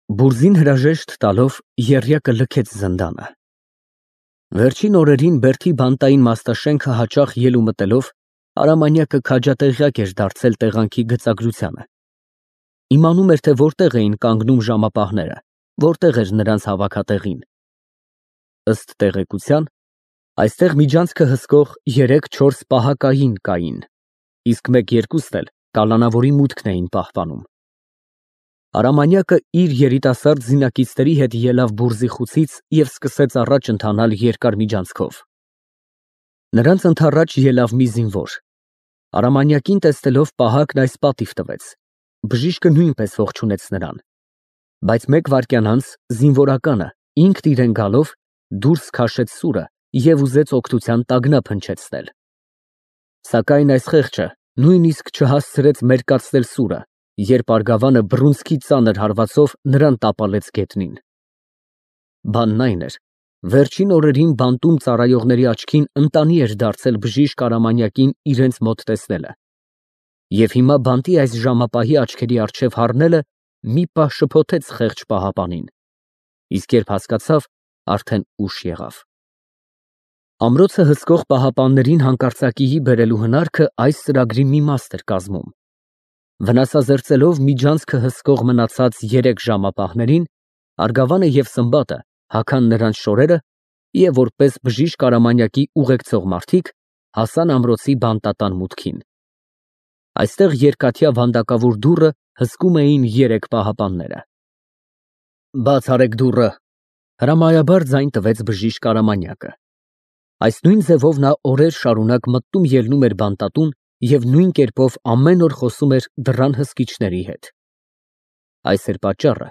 Բուրզին հրաժեշտ տալով եռյակը լքեց զնդանը։ Վերջին օրերին Բերդի բանտային մաստաշենքը հաճախ ելու մտելով Արամանյակը քաջատեղյակ էր դարձել տեղանքի գծագրությանը։ Իմանում էր, թե որտեղ էին կանգնում ժամապահները, որտեղ էր նրանց հավաքատեղին։ Ըստ տեղեկության, այստեղ միջանցքը հսկող 3-4 պահակային կային, իսկ 1-2-ն էլ կալանավորի մուտքն էին պահպանում։ Արամանյակը իր երիտասարդ զինակիցների հետ ելավ բուրզի խուցից և սկսեց առաջ ընթանալ երկար միջանցքով։ Նրանց ընդառաջ ելավ մի զինվոր։ Արամանյակին տեսնելով պահակն այս պատիվ տվեց։ Բժիշկը նույնպես ողջունեց նրան։ Բայց 1 վայրկյան անց զինվորականը ինքն իրեն գալով դուրս քաշեց սուրը և ուզեց օգնության տագնապ հնչեցնել։ Սակայն այս խեղճը նույնիսկ չհասցրեց մերկացնել սուրը, երբ արգավանը բռունցքի ծանր հարվածով նրան տապալեց գետնին։ Բանն այն էր, վերջին օրերին բանտում ծառայողների աչքին ընտանի էր դարձել բժիշկ Արամանյակին իրենց մոտ տեսնելը։ Եվ հիմա բանտի այս ժամապահի աչքերի առջև հառնելը մի պահ շփոթեց խեղճ պահապանին, իսկ երբ հասկացավ, արդեն ուշ եղավ։ Ամրոցը հսկող պահապաններին հանկարծակիի բերելու հնարքը այս ծրագրի մի մաս էր կազմում։ Վնասազերծելով միջանցքը հսկող մնացած 3 ժամապահներին, արգավանը և Սմբատը հագան նրանց շորերը և որպես բժիշկ Արամանյակի ուղեկցող մարդիկ հասան ամրոցի բանտատան մուտքին։ Այստեղ երկաթյա վանդակավոր դուռը հսկում էին 3 պահապանները։ «Բաց արեք դուռը», հրամայաբար ձայն տվեց բժիշկ Արամանյակը։ Այս նույն ձևով նա օրեր շարունակ մտնում էր բանտատուն և նույն կերպով ամեն օր խոսում էր դռան հսկիչների հետ։ Այս էր պատճառը,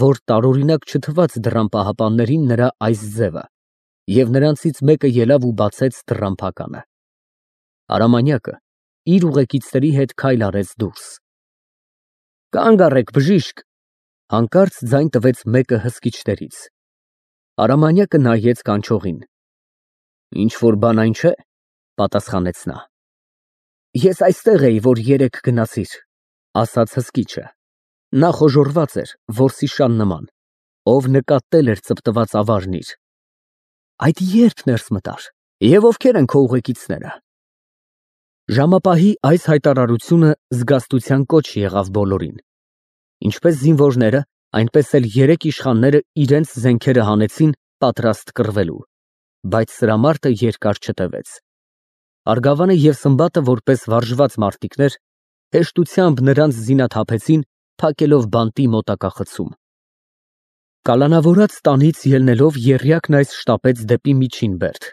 որ տարօրինակ չթվաց դռան պահապաններին նրա այս ձևը, և նրանցից մեկը ելավ ու բացեց դռան փականը։ Արամանյակը իր ուղեկիցների հետ քայլ արեց դուրս։ «Կանգ առեք, բժիշկ», հանկարծ ձայն տվեց մեկը հսկիչներից։ Արամանյակը նայեց կանչողին։ «Ինչ֊որ բան այն չէ՞, պատասխանեց նա։ «Ես այստեղ էի, որ երեկ գնացիր», ասաց հսկիչը։ Նա խոժոռված էր, որսիշան նման, ով նկատել էր ծպտված ավարն իր։ «Այդ ե՞րբ ներս մտար, և ովքեր են քո ուղեկիցները»։ Ժամապահի այս հայտարարությունը զգաստության կոչ եղավ բոլորին։ Ինչպես զինվորները, այնպես էլ 3 իշխանները իրենց զենքերը հանեցին պատրաստ կռվելու, բայց սրամարտը երկար չտևեց։ Արգավանը և Սմբատը որպես վարժված մարտիկներ հեշտությամբ նրանց զինաթափեցին, փակելով բանտի մոտակա խցում։ Կալանավորած տանից ելնելով եռյակն այս շտապեց դեպի միջին բերդ։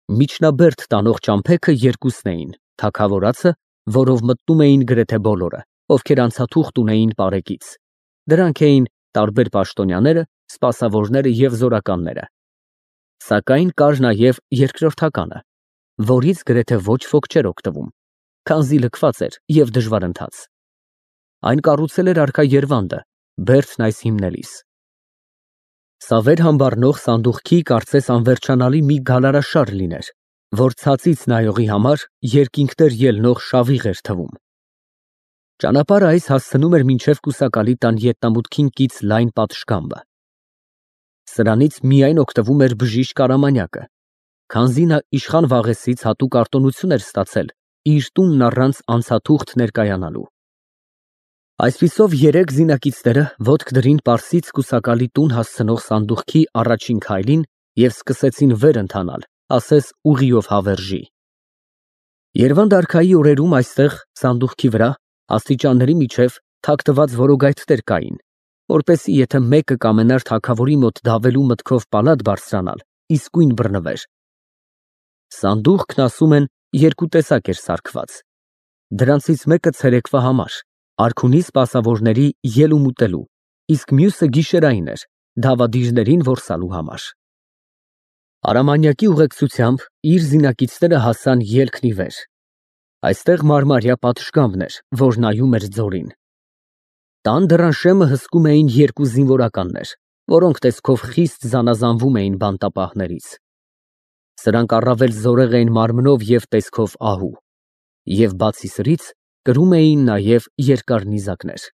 Միջնաբերդ տանող ճամփեքը 2-ն էին, թագավորացը, որով մտնում էին գրեթե բոլորը, ովքեր անցաթուղթ ունեին պարեկից։ Դրանք էին տարբեր պաշտոնյաները, սպասավորները և զորականները։ Սակայն կար նաև երկրորդականը, որից գրեթե ոչ ոք չէր օգտվում, քանզի լքված էր և դժվարընթաց։ Այն կառուցել էր արքա Երվանդը, բերդն այս հիմնելիս։ Սավեր համբառնող սանդուղքի կարծես անվերջանալի մի գալարաշար լիներ, որ ցածից նայողի համար երկինքներ ելնող շավիղ էր թվում։ Ճանապարհը այս հասցնում էր մինչև կուսակալի տան ետնամուտքին կից լայն պատշգամբը։ Սրանից միայն օգտվում էր բժիշկ Արամանյակը, քանզի նա իշխան Վաղեսից հատուկ արտոնություն էր ստացել իր տունն առանց անցաթուղթ ներկայանալու։ Այսպիսով 3 զինակիցները ոտք դրին Պարսից կուսակալի տուն հասցնող սանդուղքի առաջին քայլին և սկսեցին վեր ընթանալ, ասես ուղիով հավերժի։ Երվանդ արքայի օրերում այստեղ, սանդուղքի վրա, աստիճանների միջև թաքնված որոգայթներ կային, որպեսզի եթե մեկը կամենար թագավորի մոտ դավելու մտքով պալատ բարձրանալ, իսկույն բռնվեր։ Սանդուղքն, ասում են, 2 տեսակ էր սարքված։ Դրանցից մեկը ցերեկվա համար, արքունի սպասավորների ելում ուտելու, իսկ մյուսը գիշերային էր, դավադիրներին որսալու համար։ Արամանյակի ուղեկցությամբ իր զինակիցները հասան ելքն ի վեր։ Այստեղ մարմարյա պատշգամբն էր, որ նայում էր ձորին։ Տան դռան շեմը հսկում էին 2 զինվորականներ, որոնք տեսքով խիստ զանազանվում էին բանտապահներից։ Սրանք առավել զորեղ էին մարմնով և տեսքով ահու, և բացի սրից կրում էին նաև երկար նիզակներ։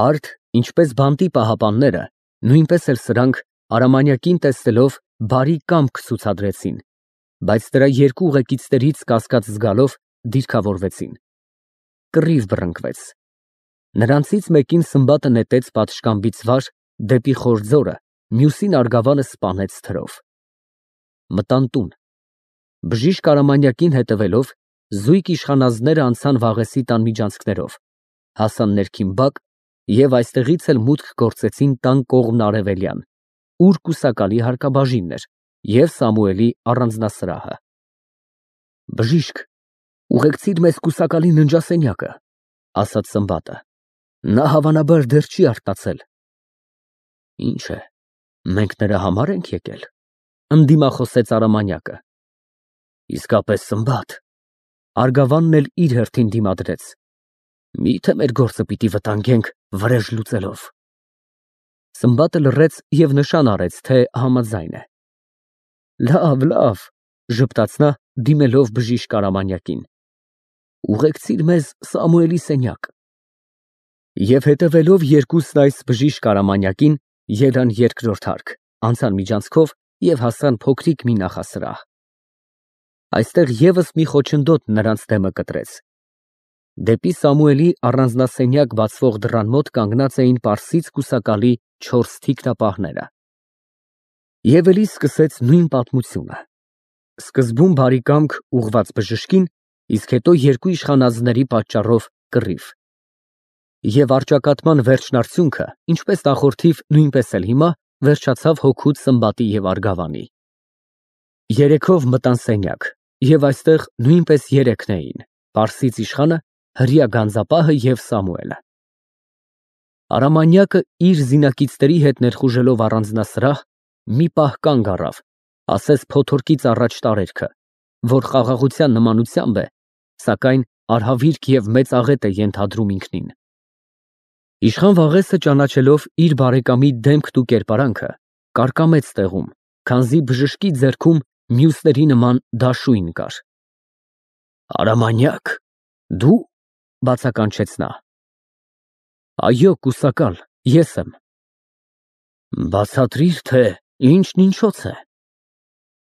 Արդ Ինչպես բանտի պահապանները, նույնպես էլ սրանք Արամանյակին տեսնելով բարի կամք ցուցադրեցին, բայց նրա երկու ուղեկիցներից կասկած զգալով դիրքավորվեցին։ Կռիվ բռնկվեց։ Նրանցից մեկին Սմբատը նետեց պատշգամբից վար դեպի խոր ձորը, մյուսին արգավանը սպանեց թրով։ Մտան տուն։ Բժիշկ Արամանյակին հետևելով, զույգ իշխանազները անցան Վաղեսի տան միջանցքներով, հասան ներքին բակ և այստեղից էլ մուտք գործեցին տան կողմն արևելյան, ուր կուսակալի հարկաբաժինն էր և Սամուելի առանձնասրահը։ Բժիշկ, ուղեկցիր մեզ կուսակալի ննջասենյակը, ասաց Սմբատը, նա հավանաբար դեռ չի արթնացել։ Ինչ է, մենք նրա համար ենք եկել, ընդդիմախոսեց Արամանյակը։ Իսկապես Սմբատ, արգավանն էլ իր հերթին դիմադրեց, միթե մեր գործը պիտի վտանգենք վրեժ լուծելով։ Սմբատը լռեց և նշան արեց, թե համաձայն է։ Լավ, լավ, ժպտաց նա, դիմելով բժիշկ Արամանյակին, ուղեկցիր մեզ Սամուելի սենյակ։ Եվ հետևելով երկուսն այս բժիշկ Արամանյակին, ելան երկրորդ հարկ, անցան միջանցքով և հասան փոքրիկ մի նախասրահ։ Այստեղ ևս մի խոչընդոտ նրանց դեմը կտրեց։ Դեպի Սամուելի առանձնասենյակ բացվող դռան մոտ կանգնած էին պարսից կուսակալի 4 թիկնապահները։ Եվ էլի սկսեց նույն պատմությունը։ Սկզբում բարի կամք ուղղված բժշկին, իսկ հետո երկու իշխանածների պատճառով կռիվ։ Եվ առճակատման վերջնարդյունքը, ինչպես նախորդիվ, նույնպես էլ հիմա, վերջացավ հոգուց Սմբատի և արգավանի։ Երեքով մտան սենյակ, և այստեղ նույնպես երեքն էին, պարսից իշխանը, հրեա գանձապահը և Սամուելը։ Արամանյակը իր զինակիցների հետ ներխուժելով առանձնասրահ, մի պահ կանգ առավ, ասես փոթորկից առաջ տարերքը, որ խաղաղության նմանությամբ է, սակայն արհավիրք և մեծ աղետ է ենթադրում ինքնին։ Իշխան Վաղեսը ճանաչելով իր բարեկամի դեմքն ու կերպարանքը, կարկամեց տեղում, քանզի բժշկի ձեռքում մյուսների նման դաշույն կար։ Արամանյակ, դու, բացականչեց նա։ Այո, կուսակալ, ես եմ։ Բացատրիր, թե ինչն ինչոց է։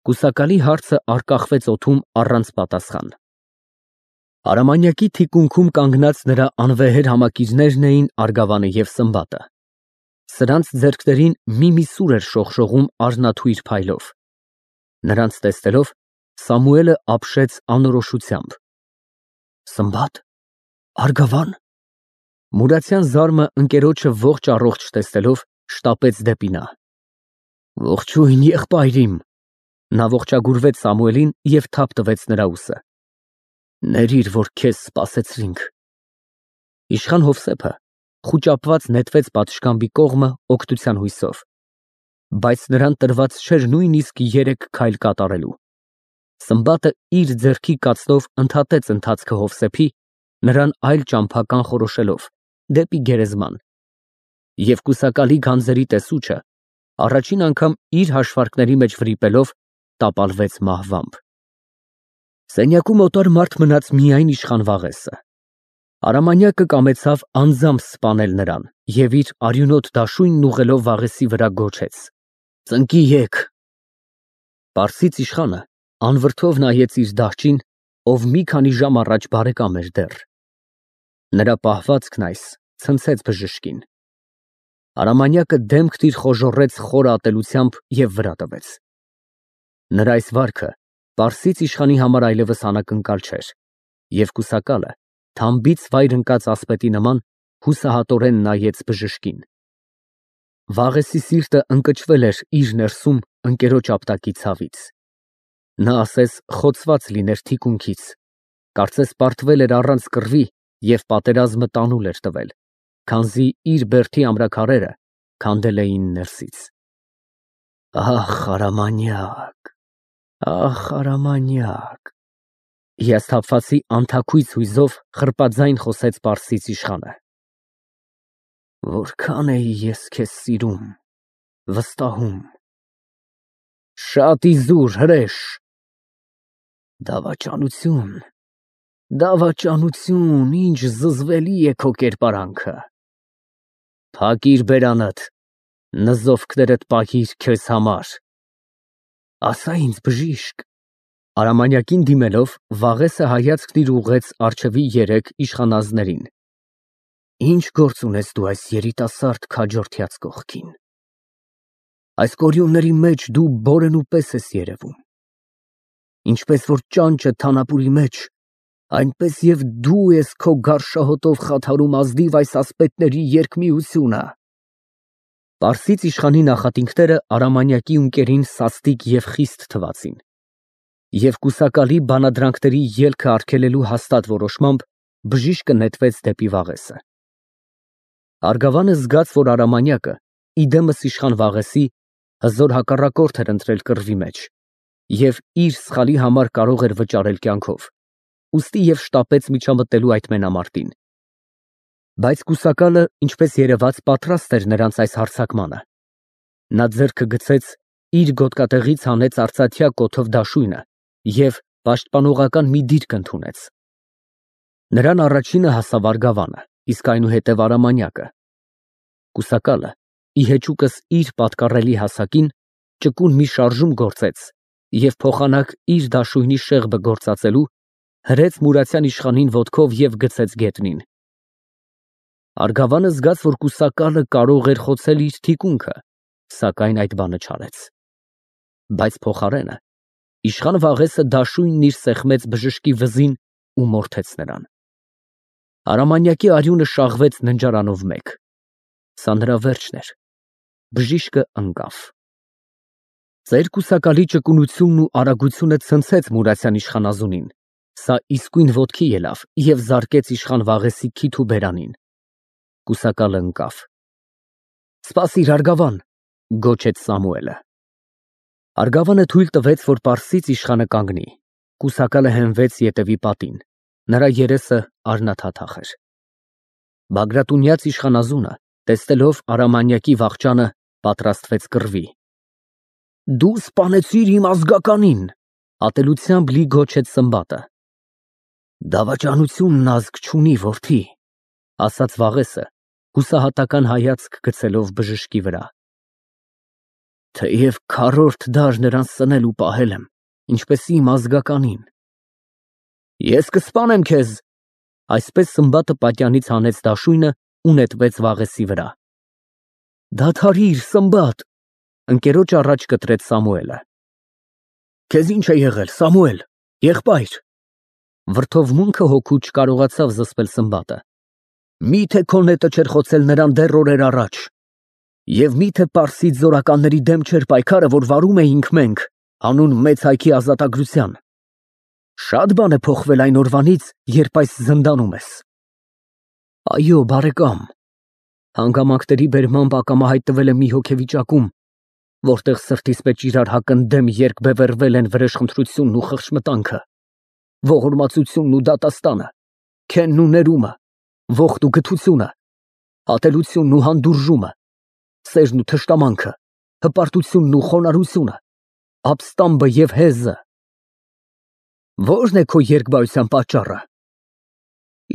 Կուսակալի հարցը առկախվեց օդում առանց պատասխան։ Արամանյակի թիկունքում կանգնած նրա անվեհեր համակիրներն էին արգավանը և Սմբատը։ Սրանց ձեռքներին մի սուր էր շողշողում առնաթույր փայլով։ Նրանց տեսնելով, Սամուելը ապշեց անորոշությամբ։ Սմբատ, արգավան։ Մուրացյան զարմը ընկերոջը ողջ առողջ տեսնելով, շտապեց դեպի նա։ Ողջույն, եղբայր իմ։ Նա ողջագուրվեց Սամուելին և թափ տվեց նրա ուսը։ Ներիր, որ քեզ սպասեցրինք։ Իշխան Հովսեփը խուճապված նետվեց պատշգամբի կողմը օգնության հույսով, բայց նրան տրված չէր նույնիսկ 3 քայլ կատարելու։ Սմբատը իր ձեռքի կացնով ընդհատեց ընթացքը Հովսեփի, նրան այլ ճամփա կանխորոշելով դեպի գերեզման, և կուսակալի գանձերի տեսուչը առաջին անգամ իր հաշվարկների մեջ վրիպելով տապալվեց մահվամբ։ Սենյակում օտար մարդ մնաց միայն իշխան Վաղեսը։ Արամանյակը կամեցավ անձամբ սպանել նրան և իր արյունոտ դաշույնն ուղղելով Վաղեսի վրա գոչեց. Ծնկի եկ։ Պարսից իշխանը անվրդով նայեց իր դահճին, ով մի քանի ժամ առաջ բարեկամ էր դեռ։ Նրա պահվածքն այս ցնցեց բժշկին։ Արամանյակը դեմքն իր խոժոռեց խոր ատելությամբ և վրա տվեց։ Նրա այս վարքը պարսից իշխանի համար այլևս անակնկալ չէր, և կուսակալը թամբից վայր ընկած ասպետի նման հուսահատորեն նայեց բժշկին։ Վաղեսի սիրտը ընկճվել էր իր ներսում ընկերոջ ապտակի ցավից։ Նա ասես խոցված լիներ թիկունքից, կարծես պարտվել էր առանց կռվի և պատերազմը տանուլ էր տվել, քանզի իր բերդի ամրաքարերը քանդել էին ներսից։ Ախ, Արամանյակ, ախ, Արամանյակ, հիասթափվածի անթաքույց հույզով խրպածայն խոսեց պարսից իշխանը։ Որքան էի ես քեզ սիրում, վստահում։ Շատ իզուր, հրեշ։ Դավաճանություն, դավաճանություն, ինչ զզվելի է քո կերպարանքը։ Փակիր բերանդ, նզովքներդ պահիր քեզ համար։ Ասա ինձ, բժիշկ։ Արամանյակին դիմելով, Վաղեսը հայացքն իր ուղղեց առջևի երեք իշխանազներին։ Ինչ գործ ունես դու այս երիտասարդ քաջորդյաց կողքին։ Այս կորյունների մեջ դու բորենու պես ես երևում։ Ինչպես որ ճանճը թանապուրի մեջ, այնպես եւ դու ես քո գարշահոտով խաթարում ազնիվ այս ասպետների երկմիությունը։ Պարսից իշխանի նախատինքները Արամանյակի ունկերին սաստիկ եւ խիստ թվացին։ Եվ կուսակալի բանադրանքների ելքը արգելելու հաստատ որոշմամբ բժիշկը նետվեց դեպի Վաղեսը։ Արգավանը զգաց, որ Արամանյակը, իդեմս իշխան Վաղեսի, հզոր հակառակորդ էր ընտրել կռվի մեջ և իր սխալի համար կարող էր վճարել կյանքով, ուստի և շտապեց միջամտելու այդ մենամարտին։ Բայց կուսակալը, ինչպես երևաց, պատրաստ էր նրանց այս հարձակմանը։ Նա ձեռքը գցեց, իր գոտկատեղից հանեց արծաթյա կոթով դաշույնը և պաշտպանողական մի դիրք ընդունեց։ Նրան առաջինը հասավ Արգավանը, իսկ այնուհետև Արամանյակը։ Կուսակալը, ի հեճուկս իր պատկառելի հասակին, ճկուն մի շարժում գործեց և փոխանակ իր դաշույնի շեղբը գործածելու, հրեց Մուրացյան իշխանին ոտքով և գցեց գետնին։ Արգավանը զգաց, որ կուսակալը կարող էր խոցել իր թիկունքը, սակայն այդ բանը չարեց։ Բայց փոխարենը իշխան Վաղեսը դաշույնն իր սեղմեց բժշկի վզին ու մորթեց նրան։ Արամանյակի արյունը շաղվեց ննջարանով մեկ։ Սա նրա վերջն էր։ Բժիշկը ընկավ։ Ծեր կուսակալի ճկունությունն ու արագությունը ցնցեց Մուրացյան իշխանազունին։ Սա իսկույն ոտքի ելավ և զարկեց իշխան Վաղեսի քիթ ու բերանին։ Կուսակալը ընկավ։ «Սպասիր, Արգավան», գոչեց Սամուելը։ Արգավանը թույլ տվեց, որ պարսից իշխանը կանգնի։ Կուսակալը հենվեց ետևի պատին։ Նրա երեսը արնաթաթախ էր։ Բագրատունյաց իշխանազունը, տեսնելով Արամանյակի վախճանը, պատրաստվեց կռվի։ «Դու սպանեցիր իմ ազգականին», ատելությամբ լի գոչեց Սմբատը։ «Դավաճանությունն ազգ չունի, որդի», ասաց Վաղեսը, հուսահատական հայացք գցելով բժշկի վրա։ «Թեև քառորդ դար նրան սնել ու պահել եմ, ինչպես իմ ազգականին»։ «Ես կսպանեմ քեզ», այսպես Սմբատը պատյանից հանեց դաշույնը ու նետվեց Վաղեսի վրա։ «Դադարիր, Սմբատ», ընկերոջ առաջ կտրեց Սամուելը։ «Քեզ ինչ է եղել, Սամուել, եղբայր»։ Վրդովմունքը հոգու չկարողացավ զսպել Սմբատը։ «Մի՞թե քո նետը չէր խոցել նրան դեռ օրեր առաջ։ Եվ մի՞թե պարսից զորականների դեմ չէր պայքարը, որ վարում էինք մենք, հանուն մեծ հայքի ազատագրության։ Շատ բան է փոխվել այն օրվանից, երբ այս զնդանում ես»։ «Այո, բարեկամ», հանգամանքների բերմամբ ակամա հայտնվել եմ մի հոգեվիճակում, որտեղ սրտիս մեջ իրար հակընդդեմ երկբևեռվել են վրեժխնդրությունն ու խղճմտանքը, ողորմածությունն ու դատաստանը, քենն ու ներումը, ողդ ու գթությունը, ատելությունն ու հանդուրժումը, սերն ու թշնամանքը, հպարտությունն ու խոնարհությունը, ապստամբը և հեզը։ Ո՞րն է քո երկբայության պատճառը։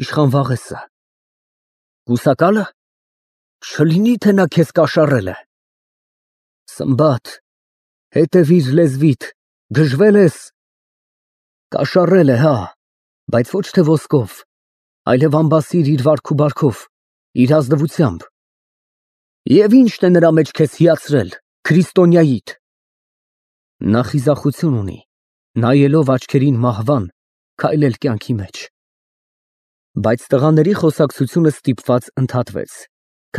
Իշխան Վաղեսը։ Կուսակալը։ Չլինի, թե նա քեզ կաշառել է։ Սմբատ, հետևիր լեզվիդ, գժվել ես։ Կաշառել է, հա, բայց ոչ թե ոսկով, այլև ամբասիր իր վարք ու բարքով, իր ազնվությամբ։ Եվ ի՞նչն է նրա մեջ քեզ հիացրել, քրիստոնյայիդ։ Նա խիզախություն ունի, նայելով աչքերին մահվան, քայլել կյանքի մեջ։ Բայց տղաների խոսակցությունը ստիպված ընդհատվեց,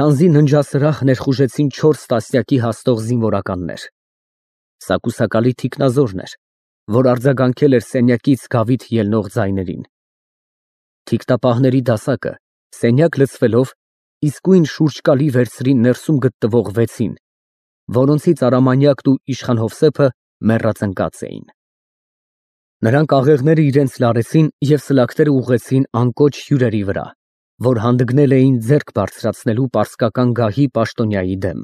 քանզի ննջասրահ ներխուժեցին 4 տասնյակի հասնող զինվորականներ։ Սա կուսակալի թիկնազորն էր, որ արձագանքել էր սենյակից գավիթ ելնող ձայներին։ Թիկտապահների դասակը, սենյակ լցվելով, իսկույն շուրջկալի վերցրին ներսում գտնվող 6-ին, որոնցից Արամանյակն ու իշխան Հովսեփը մեռած ընկած էին։ Նրանք աղեղները իրենց լարեցին և սլաքները ուղղեցին անկոչ հյուրերի վրա, որ հանդգնել էին ձեռք բարձրացնելու պարսկական գահի պաշտոնյայի դեմ։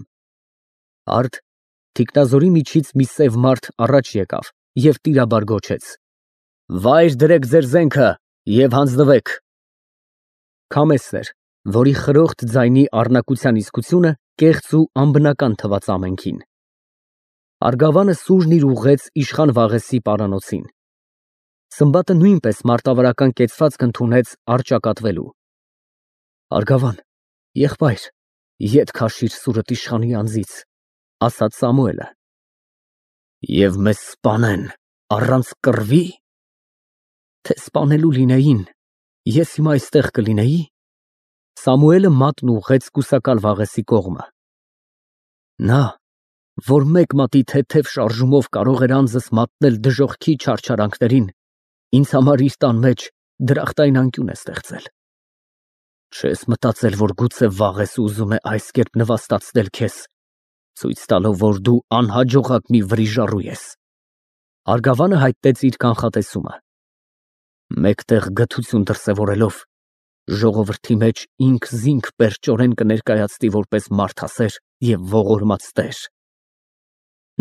Արդ թիկնազորի միջից մի սև մարդ առաջ եկավ և տիրաբար գոչեց. «Վայր դրեք ձեր զենքը և հանձնվեք»։ Քամեսն էր, որի խրոխտ ձայնի առնակության իսկությունը կեղծ ու անբնական թվաց ամենքին։ Արգավանը սուրն իր ուղղեց իշխան Վաղեսի պարանոցին։ Սմբատը նույնպես մարտավարական կեցվածք ընդունեց առճակատվելու։ Արգավան, եղբայր, ետ քաշիր սուրդ իշխանի անձից, ասաց Սամուելը։ Եվ մեզ սպանեն առանց կռվի, թե սպանելու լինեին, ես հիմա այստեղ կլինեի։ Սամուելը մատն ուղղեց կուսակալ Վաղեսի կողմը։ Նա, որ մեկ մատի թեթև շարժումով կարող էր անձս մատնել դժոխքի չարչարանքներին, ինձ համար իր տան մեջ դրախտային անկյուն է ստեղծել։ Չես մտածել, որ գուցե Վաղեսը ուզում է այս կերպ նվաստացնել քեզ, ցույց տալով, որ դու անհաջողակ մի վրիժառու ես։ Արգավանը հայտնեց իր կանխատեսումը։ Մեկտեղ գթություն դրսևորելով, ժողովրդի մեջ ինքզինք պերճորեն կներկայացնի որպես մարդասեր և ողորմած տեր։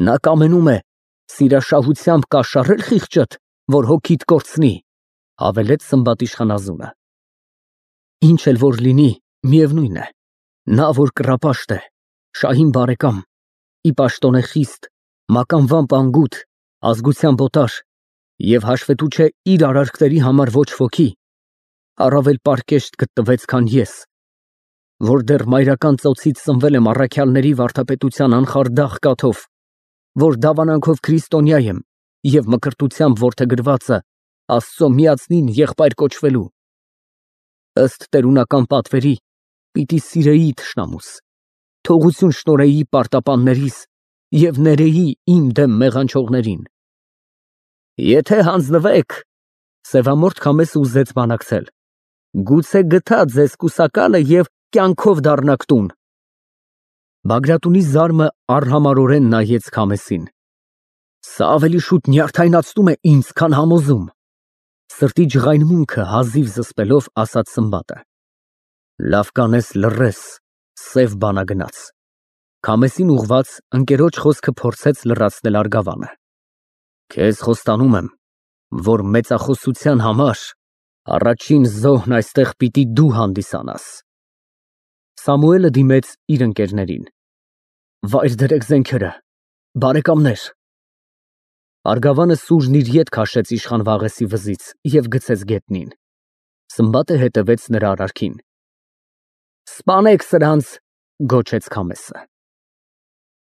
Նա կամենում է սիրաշահությամբ կաշառել խիղճդ, որ հոգիդ կորցնի, հավելեց Սմբատ իշխանազունը։ Ինչ էլ որ լինի, միևնույն է, նա որ կռապաշտ է, շահին բարեկամ, ի պաշտոն է խիստ, մականվամբ անգութ, ազգությամբ օտար և հաշվետու չէ իր արարքների համար ոչ ոքի, առավել պարկեշտ գտնվեց, քան ես, որ դեռ մայրական ծոցից ծնվել եմ առաքյալների վարդապետության անխարդախ կաթով, որ դավանանքով քրիստոնյա եմ և մկրտությամբ որդեգրվածը Աստծո միածնին եղբայր կոչվելու։ Ըստ տերունական պատվերի պիտի սիրեի թշնամուս, թողություն շնորհեի պարտապաններիս և ներեի իմ դեմ մեղանչողներին։ Եթե հանձնվեք, սևամորթ Քամեսը ուզեց բանակցել, գուցե գթա ձեզ կուսակալը և կյանքով դառնաք տուն։ Բագրատունի զարմը արհամարհորեն նայեց Քամեսին։ Սա ավելի շուտ նյարդայնացնում է ինձ, քան համոզում, սրտի ջղայնմունքը հազիվ զսպելով ասաց Սմբատը։ Լավ կանես լռես, սև բանագնաց։ Քամեսին ուղղված ընկերոջ խոսքը փորձեց լրացնել Արգավանը։ Քեզ խոստանում եմ, որ մեծախոսության համար առաջին զոհն այստեղ պիտի դու հանդիսանաս։ Սամուելը դիմեց իր ընկերներին։ Վայր դրեք զենքերը, բարեկամներ։ Արգավանը սուրն իր ետ քաշեց իշխան Վաղեսի վզից և գցեց գետնին։ Սմբատը հետևեց նրա արարքին։ Սպանեք սրանց, գոչեց Քամեսը։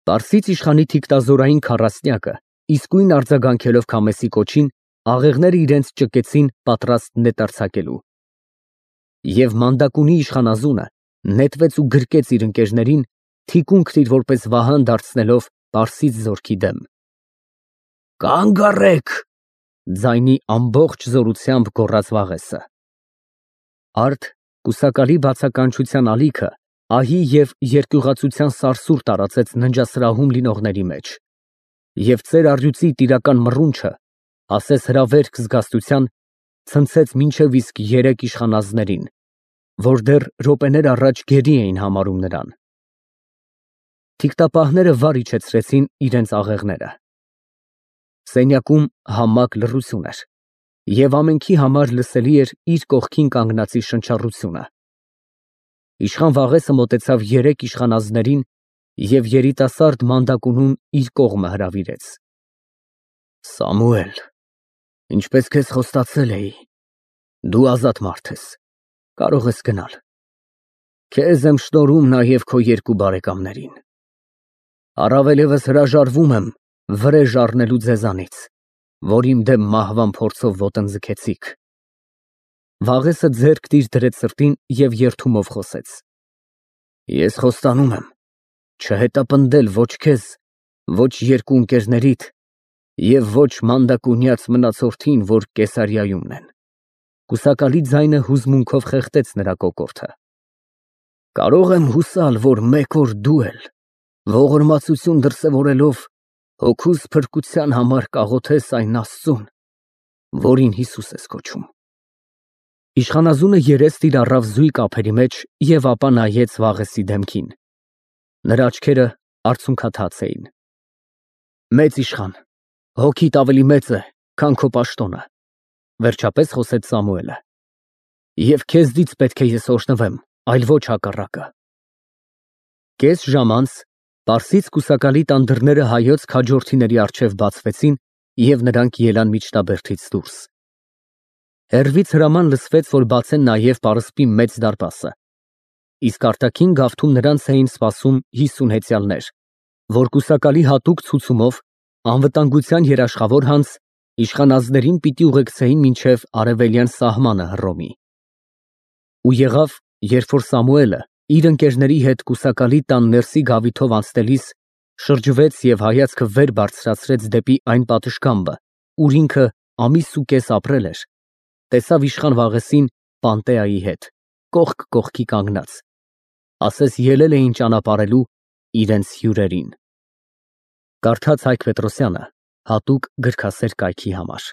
Պարսից իշխանի թիկտազորային քառասնյակը իսկույն արձագանքելով Քամեսի կոչին, աղեղները իրենց ճկեցին պատրաստ նետարձակելու։ Եվ Մանդակունի իշխանազունը նետվեց ու գրկեց իր ընկերներին, թիկունքն իր որպես վահան դարձնելով պարսից զորքի դեմ։ Կանգ առեք, ձայնի ամբողջ զորությամբ գոռաց Վաղեսը։ Արդ կուսակալի բացականչության ալիքը ահի և երկյուղացության սարսուռ տարածեց ննջասրահում լինողների մեջ, և ծեր առյուծի տիրական մռունչը, ասես հրավերք զգաստության, ցնցեց մինչև իսկ երեք իշխանազներին, որ դեռ րոպեներ առաջ գերի էին համարում նրան։ Թիկտապահները վար իջեցրեցին իրենց աղեղները։ Սենյակում համակ լռություն էր, և ամենքի համար լսելի էր իր կողքին կանգնածի շնչառությունը։ Իշխան Վաղեսը մոտեցավ երեք իշխանազներին և երիտասարդ Մանդակունուն իր կողմը հրավիրեց։ Սամուել, ինչպես քեզ խոստացել էի, դու ազատ մարդ ես, կարող ես գնալ։ Քեզ եմ շնորհում նաև քո երկու բարեկամներին։ Առավել ևս հրաժարվում եմ վրեժ առնելու ձեզանից, որ իմ դեմ մահվան փորձով ոտնձգեցիք։ Վաղեսը ձեռքն իր դրեց սրտին և երդումով խոսեց։ Ես խոստանում եմ չհետապնդել ոչ քեզ, ոչ երկու ընկերներիդ և ոչ Մանդակունյաց մնացորդին, որ Կեսարիայումն են։ Կուսակալի ձայնը հուզմունքով խեղդեց նրա կոկորդը։ Կարող եմ հուսալ, որ մեկ օր դու էլ, ողորմածություն դրսևորելով, հոգուս փրկության համար կաղոթես այն Աստծուն, որին Հիսուս ես կոչում։ Իշխանազունը երեստ իր առավ զույգ ափերի մեջ և ապա նայեց Վաղեսի դեմքին։ Նրա աչքերը արցունքաթաց էին։ Մեծ իշխան, հոգիդ ավելի մեծ է, քան քո պաշտոնը, վերջապես խոսեց Սամուելը։ Եվ քեզնից պետք է ես օրհնվեմ, այլ ոչ հակառակը։ Կես ժամ անց Պարսից կուսակալի տան դռները հայոց քաջորդիների առջև բացվեցին, և նրանք ելան միջնաբերդից դուրս։ Հեռվից հրաման լսվեց, որ բացեն նաև պարսպի մեծ դարպասը, իսկ արտաքին գավթում նրանց էին սպասում 50 հեծյալներ, որ կուսակալի հատուկ ցուցումով անվտանգության երաշխավոր հանձ իշխանազներին պիտի ուղեկցեին մինչև արևելյան սահմանը Հռոմի։ Ու եղավ, երբ որ Սամուելը իր ընկերների հետ կուսակալի տան ներսի գավիթով անցնելիս շրջվեց և հայացքը վեր բարձրացրեց դեպի այն պատշգամբը, ուր ինքը ամիս ու կես ապրել էր, տեսավ իշխան Վաղեսին Պանտեայի հետ, կողք կողքի կանգնած, ասես ելել էին ճանապարհելու իրենց հյուրերին։ Կարդաց Հայկ Պետրոսյանը հատուկ գրքասեր կայքի համար։